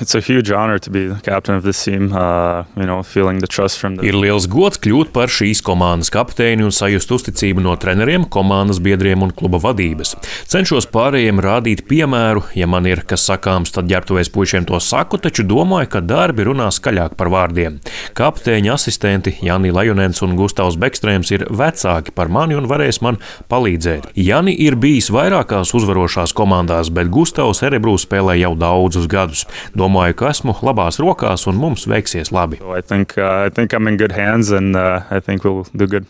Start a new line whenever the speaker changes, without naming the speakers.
It's a huge honor to be the captain of this team, feeling the trust from the...
Ir liels gods kļūt par šīs komandas kapteini un sajust uzticību no treneriem, komandas biedriem un kluba vadības. Cenšos pārējiem rādīt piemēru, ja man ir kas sakāms, tad ģērbtuvēs puišiem to saku, taču domāju, ka darbi runā skaļāk par vārdiem. Kapteiņa asistenti Jani Lajonens un Gustavs Bekstrēms ir vecāki par mani un varēs man palīdzēt. Jani ir bijis vairākās uzvarošās komandās, bet Gustavs Erebrū spēlē jau daudzus gadus. Domāju, ka esmu labās rokās un mums veiksies labi.
I think I'm in good hands and I think we'll do good.